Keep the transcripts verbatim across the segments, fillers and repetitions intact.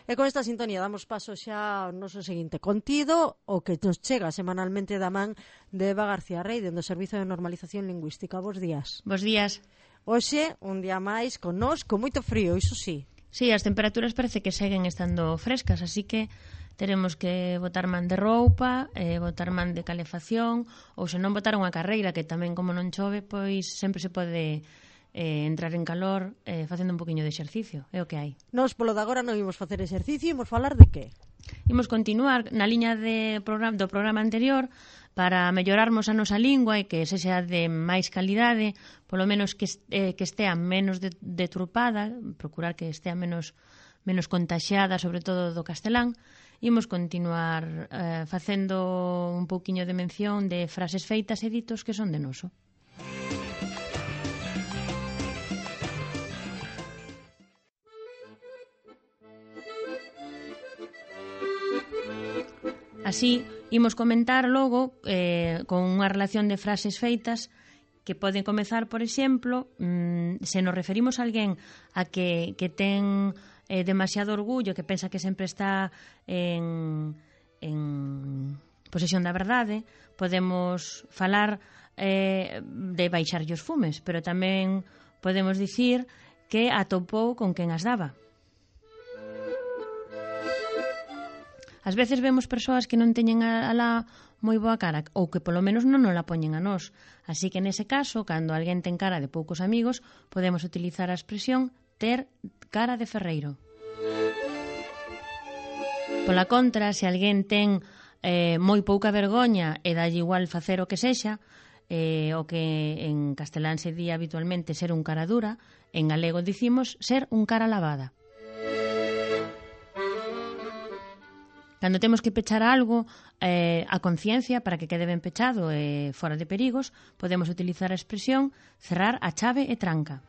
E con esta sintonía damos paso xa ao noso seguinte contido, o que nos chega semanalmente da man de Eva García Rey, dentro do Servizo de Normalización Lingüística. Bos días. Bos días. Hoxe, un día máis, con nós, con moito frío, iso sí. Sí, as temperaturas parece que seguen estando frescas, así que teremos que botar man de roupa, eh, botar man de calefacción, ou se non botar unha carreira, que tamén como non chove, pois sempre se pode eh, entrar en calor eh, facendo un poquinho de exercicio, é o que hai. Nos, polo de agora, non imos facer exercicio, imos falar de que? Imos continuar na liña de programa, do programa anterior para mellorarmos a nosa lingua e que sexa de máis calidade, polo menos que, eh, que estea menos deturpada, procurar que estea menos, menos contaxiada, sobre todo do castelán. Imos continuar eh, facendo un pouquiño de mención de frases feitas e ditos que son de noso. Así, imos comentar logo eh, con unha relación de frases feitas que poden comezar, por exemplo, mmm, se nos referimos a alguén a que, que ten eh, demasiado orgullo, que pensa que sempre está en, en posesión da verdade, podemos falar eh, de baixarlle os fumes, pero tamén podemos dicir que atopou con quen as daba. Ás veces vemos persoas que non teñen alá moi boa cara ou que polo menos non nos la poñen a nós. Así que nese caso, cando alguén ten cara de poucos amigos, podemos utilizar a expresión ter cara de ferreiro. Pola contra, se alguén ten eh, moi pouca vergoña e dalle igual facer o que sexa, eh, o que en castelán se di habitualmente ser un cara dura, en galego dicimos ser un cara lavada. Cando temos que pechar algo eh, a conciencia para que quede ben pechado e eh, fora de perigos, podemos utilizar a expresión cerrar a chave e tranca.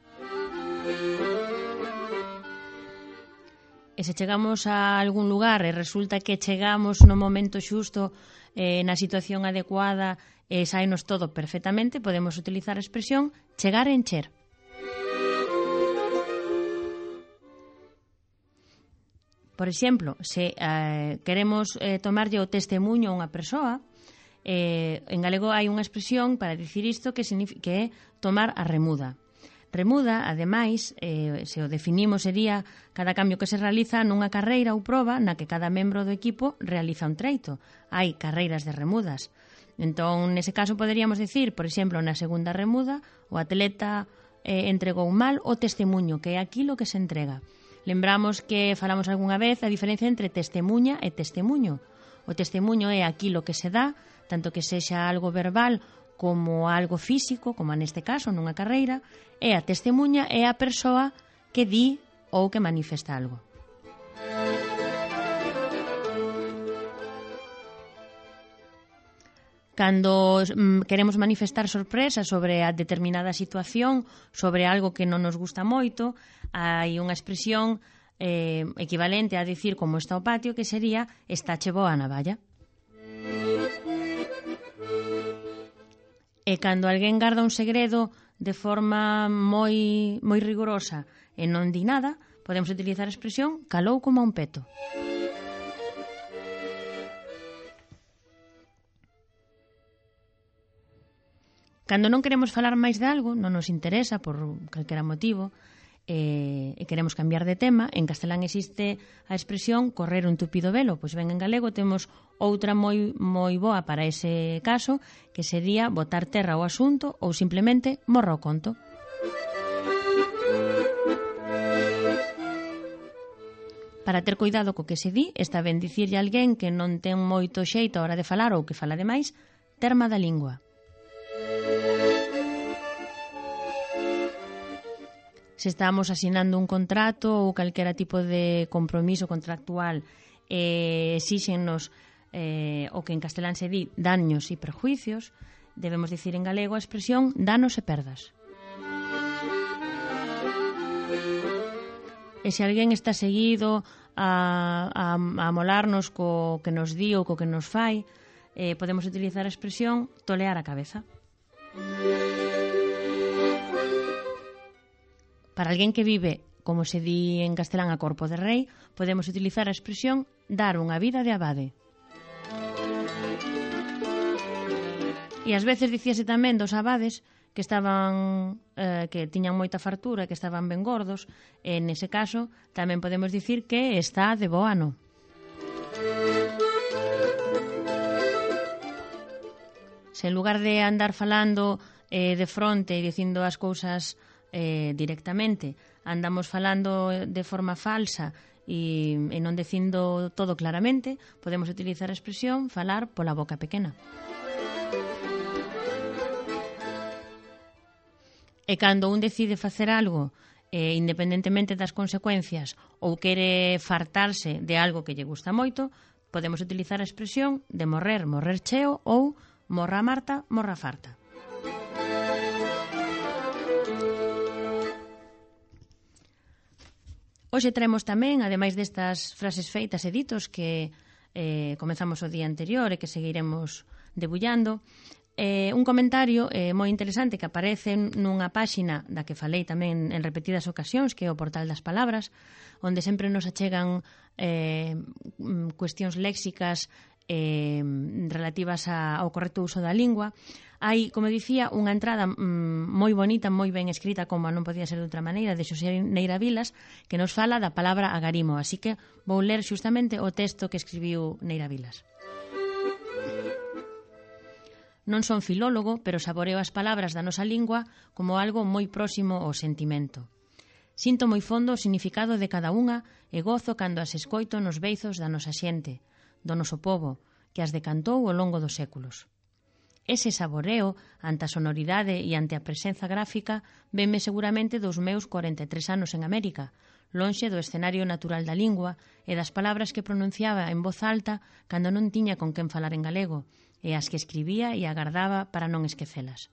E se chegamos a algún lugar e resulta que chegamos no momento xusto, eh, na situación adecuada e saínos todo perfectamente, podemos utilizar a expresión chegar e encher. Por exemplo, se eh, queremos eh, tomarlle o testemunho a unha persoa, eh, en galego hai unha expresión para dicir isto que, que é tomar a remuda. Remuda, ademais, eh, se o definimos, sería cada cambio que se realiza nunha carreira ou proba na que cada membro do equipo realiza un treito. Hai carreiras de remudas. Entón, nese caso, poderíamos dicir, por exemplo, na segunda remuda, o atleta eh, entregou mal o testemunho, que é aquilo que se entrega. Lembramos que falamos algunha vez a diferencia entre testemuña e testemuño. O testemuño é aquilo que se dá, tanto que sexa algo verbal como algo físico, como neste caso, nunha carreira, e a testemuña é a persoa que di ou que manifesta algo. Cando mm, queremos manifestar sorpresa sobre a determinada situación, sobre algo que non nos gusta moito, hai unha expresión eh, equivalente a dicir como está o patio, que sería estáche boa a navalla. E cando alguén garda un segredo de forma moi, moi rigorosa e non di nada, podemos utilizar a expresión calou como un peto. Cando non queremos falar máis de algo, non nos interesa por calquera motivo, e, e queremos cambiar de tema, en castelán existe a expresión correr un tupido velo, pois ben en galego temos outra moi moi boa para ese caso, que sería botar terra ao asunto ou simplemente morra o conto. Para ter cuidado co que se di, está ben dicirlle a alguén que non ten moito xeito a hora de falar ou que fala demais, terma da lingua. Se estamos asinando un contrato ou calquera tipo de compromiso contractual e exíxennos eh, o que en castelán se di daños e perjuicios, debemos dicir en galego a expresión danos e perdas. E se alguén está seguido a, a, a molarnos co que nos di ou co que nos fai, eh, podemos utilizar a expresión tolear a cabeza. Para alguén que vive como se di en castelán a corpo de rei, podemos utilizar a expresión dar unha vida de abade. E ás veces dicíase tamén dos abades que estaban eh, que tiñan moita fartura, que estaban ben gordos, e nese caso tamén podemos dicir que está de bo ano. Se en lugar de andar falando eh, de fronte e dicindo as cousas eh, directamente, andamos falando de forma falsa e, e non dicindo todo claramente, podemos utilizar a expresión falar pola boca pequena. E cando un decide facer algo, eh, independentemente das consecuencias, ou quere fartarse de algo que lle gusta moito, podemos utilizar a expresión de morrer, morrer cheo, ou morra Marta, morra farta. Hoxe traemos tamén, ademais destas frases feitas e ditos que eh, comezamos o día anterior e que seguiremos debullando, Eh, un comentario eh, moi interesante que aparece nunha páxina da que falei tamén en repetidas ocasións, que é o Portal das Palabras, onde sempre nos achegan eh, cuestións léxicas eh, relativas a, ao correcto uso da lingua. Hai, como dicía, unha entrada mm, moi bonita, moi ben escrita, como non podía ser de outra maneira, de Xosé Neira Vilas, que nos fala da palabra agarimo. Así que vou ler xustamente o texto que escribiu Neira Vilas. Non son filólogo, pero saboreo as palabras da nosa lingua como algo moi próximo ao sentimento. Sinto moi fondo o significado de cada unha e gozo cando as escoito nos beizos da nosa xente, do noso pobo, que as decantou ao longo dos séculos. Ese saboreo, ante a sonoridade e ante a presenza gráfica, venme seguramente dos meus corenta e tres anos en América, lonxe do escenario natural da lingua e das palabras que pronunciaba en voz alta cando non tiña con quen falar en galego, e as que escribía e agardaba para non esquecelas.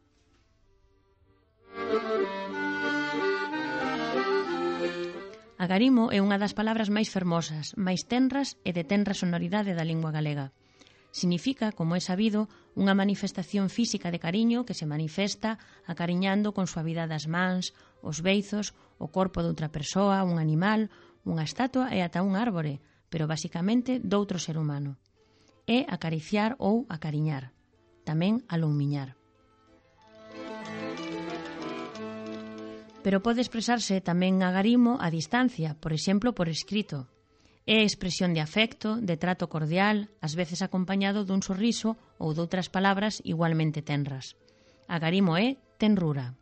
Agarimo é unha das palabras máis fermosas, máis tenras e de tenra sonoridade da lingua galega. Significa, como é sabido, unha manifestación física de cariño que se manifesta acariñando con suavidade as mans, os beizos, o corpo de outra persoa, un animal, unha estatua e ata un árbore, pero basicamente doutro ser humano. É acariciar ou acariñar, tamén aloumiñar. Pero pode expresarse tamén agarimo a distancia, por exemplo, por escrito. É expresión de afecto, de trato cordial, ás veces acompañado dun sorriso ou doutras palabras igualmente tenras. Agarimo é tenrura.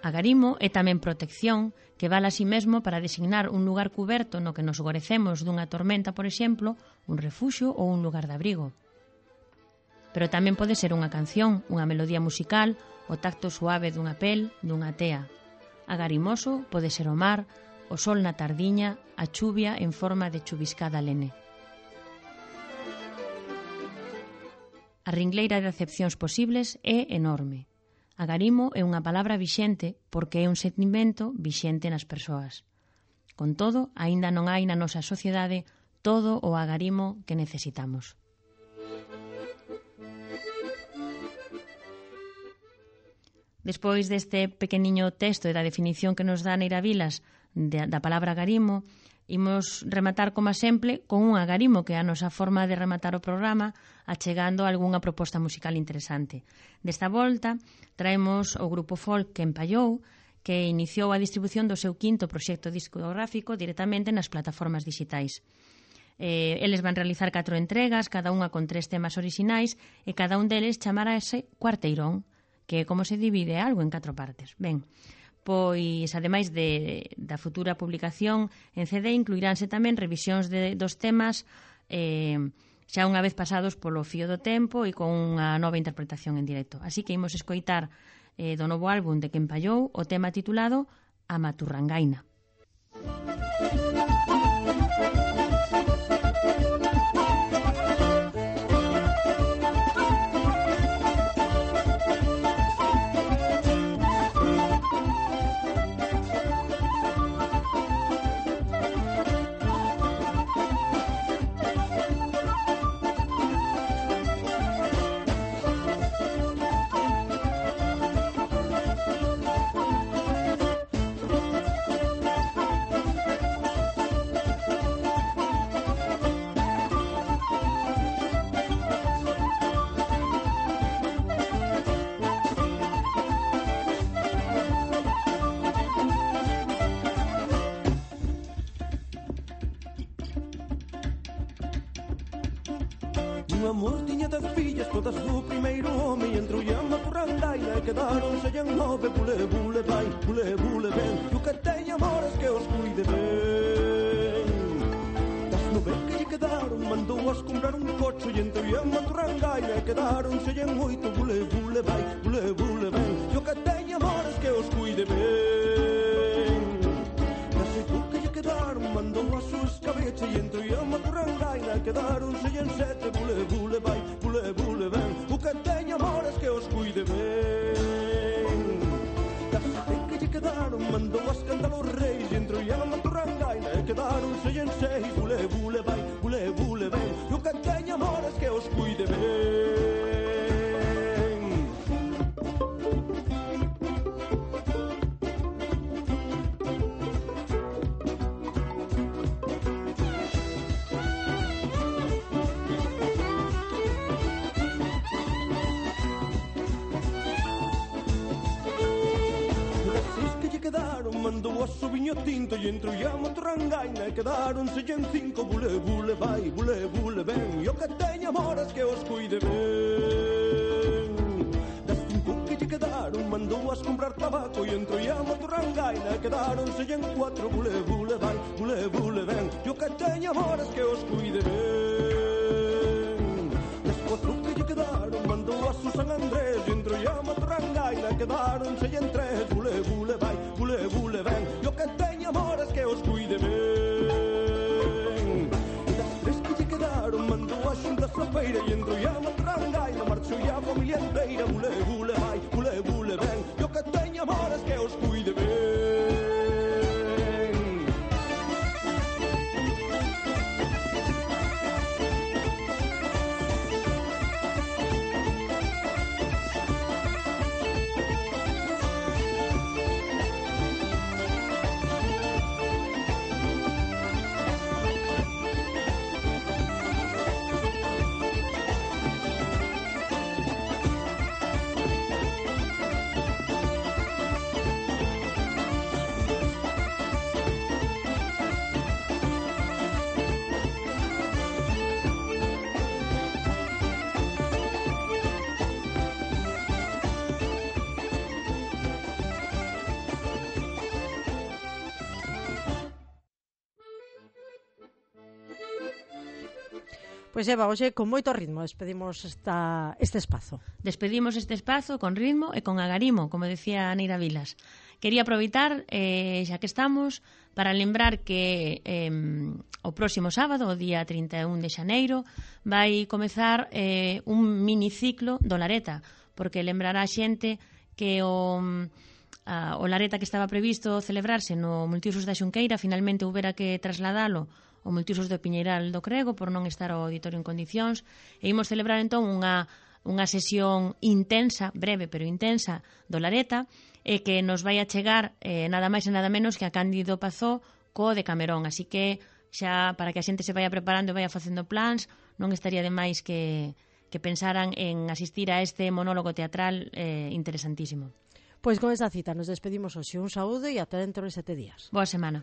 Agarimo é tamén protección, que vale a sí mesmo para designar un lugar cuberto no que nos gorecemos dunha tormenta, por exemplo, un refuxio ou un lugar de abrigo. Pero tamén pode ser unha canción, unha melodía musical, o tacto suave dunha pel, dunha tea. Agarimoso pode ser o mar, o sol na tardiña, a chuvia en forma de chuviscada lene. A ringleira de acepcións posibles é enorme. Agarimo é unha palabra vixente porque é un sentimento vixente nas persoas. Con todo, aínda non hai na nosa sociedade todo o agarimo que necesitamos. Despois deste pequeniño texto e da definición que nos dá Neira Vilas da palabra agarimo, imos rematar, como sempre, con un agarimo, que é a nosa forma de rematar o programa, achegando algunha proposta musical interesante. Desta volta, traemos o grupo folk que empallou, que iniciou a distribución do seu quinto proxecto discográfico directamente nas plataformas digitais. Eh, eles van realizar catro entregas, cada unha con tres temas orixinais, e cada un deles chamarase Cuarteirón, que é como se divide algo en catro partes. Ben, pois, ademais de, da futura publicación en C D, incluiránse tamén revisións de, dos temas eh, xa unha vez pasados polo fío do tempo e con unha nova interpretación en directo. Así que imos escoitar eh, do novo álbum de Quen Pallou o tema titulado A Maturrangaina. Un amor tiña dez fillas, todas do primeiro home, e entrou a maturrandaina e quedaronse en nove. Bule, bule, vai, bule, bule, ben, e o que teña amores que os cuide ben. Das nove que lle quedaron, mandou-as comprar un cocho, e entrou a maturrandaina e quedaronse en oito. Bule, bule, vai, bule, bule, ben, e o que teña amores que os cuide ben. Das oito que lle quedaron, mandou a súa escabecha, e entrou a maturrandaina e quedaronse en sete. Bule, bule, vai, bule, bule, ben, o que teña amores que os cuide ben. Das sete que lle quedaron, mandou a escándalo os reis, e entrou a maturrandaina e quedaronse en seis. Bule, bule, vai, bule, bule, ben, o que teña amores que os cuide ben. Mandou a su viño tinto e entrou a maturrangaina e quedaronse en cinco. Bule, bule, vai, bule, bule, ben, e o que teña amores que os cuide ben. Das cinco que lle quedaron, mandou as comprar tabaco e entrou a maturrangaina e quedaronse en cuatro. Bule, bule, vai, bule, bule, ben, e o que teña amores que os cuide ben. Das cuatro que lle quedaron, mandou a su San Andrés e entrou a maturrangaina e quedaronse en tres. Bule, bule, vai, bule, bule, ben, e o que teña amores que os cuide ben. E das tres que lle quedaron, mandou a xunta a feira e entrou a maturrangaina, marchou a familia inteira. Bule, bule, vai, bule, bule, ben, e o que teña amores que os cuide ben. Pois Eva, hoxe con moito ritmo despedimos esta, este espazo. Despedimos este espazo con ritmo e con agarimo, como decía Neira Vilas. Quería aproveitar, eh, xa que estamos, para lembrar que eh, o próximo sábado, o día trinta e un de xaneiro, vai comezar eh, un miniciclo do Lareta, porque lembrará a xente que o... A, o Lareta que estaba previsto celebrarse no Multiusos da Xunqueira finalmente houbera que trasladalo ao Multiusos do Piñeiral do Crego por non estar ao auditorio en condicións, e imos celebrar entón unha, unha sesión intensa, breve pero intensa, do Lareta, e que nos vai a chegar eh, nada máis e nada menos que a Cándido Pazó co de Camerón, así que xa para que a xente se vaya preparando e vaya facendo plans, non estaría de máis que, que pensaran en asistir a este monólogo teatral eh, interesantísimo. Pois con esta cita nos despedimos hoxe. Un saúdo e ata dentro de sete días. Boa semana.